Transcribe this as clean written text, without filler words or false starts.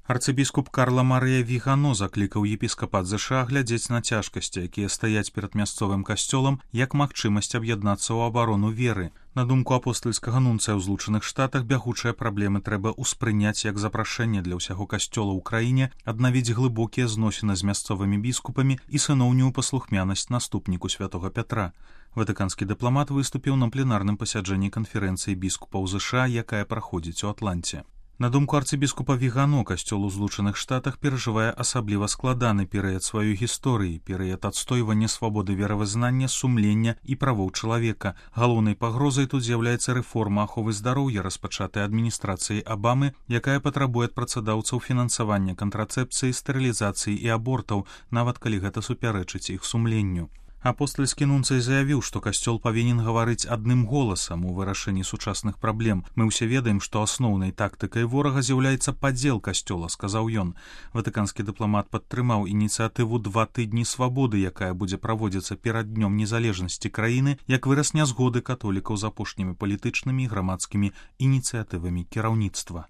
Арцыбіскуп Карла Марыя Вігано заклікаў епіскапат ЗША глядзець на цяжкасці, якія стаяць перад мясцовым касцёлам, як магчымасць аб'яднацца ў абарону веры. На думку апостальскага нунцыя ў Злучаных Штатах, бягучыя праблемы трэба ўспрыняць як запрашэнне для ўсяго касцёла ў краіне, аднавіць глыбокія зносіны з мясцовымі біскупамі і сыноўнюю паслухмянасць наступніку святога Пятра. Ватыканскі дыпламат выступіў на пленарным пасяджэнні канферэнцыі біскупаў ЗША, якая праходзіць у Атланце. На думку арцыбіскупа Вігано, касцёл у Злучаных Штатах перажывае асабліва складаны перыяд сваёй гісторыі, перыяд адстойвання свабоды веравызнання, сумлення і правоў чалавека. Галоўнай пагрозай тут з'яўляецца рэформа аховы здароўя, распачатая адміністрацыяй Абамы, якая патрабуе ад працадаўцаў фінансавання кантрацэпцыі, стэрылізацыі і абортаў, нават калі гэта супярэчыць іх сумленню. Апостальскі нунцый заявіў, што касцёл павінен гаварыць адным голасам у вырашэнні сучасных праблем. Мы ўсе ведаем, што асноўнай тактыкай ворага з'яўляецца падзел касцёла, сказаў ён. Ватыканскі дыпламат падтрымаў ініцыятыву «Два тыдні свабоды», якая будзе праводзіцца перад днём незалежнасці краіны, як выраз нязгоды католікаў з апошнімі палітычнымі і грамадскімі ініцыятывамі кіраўніцтва.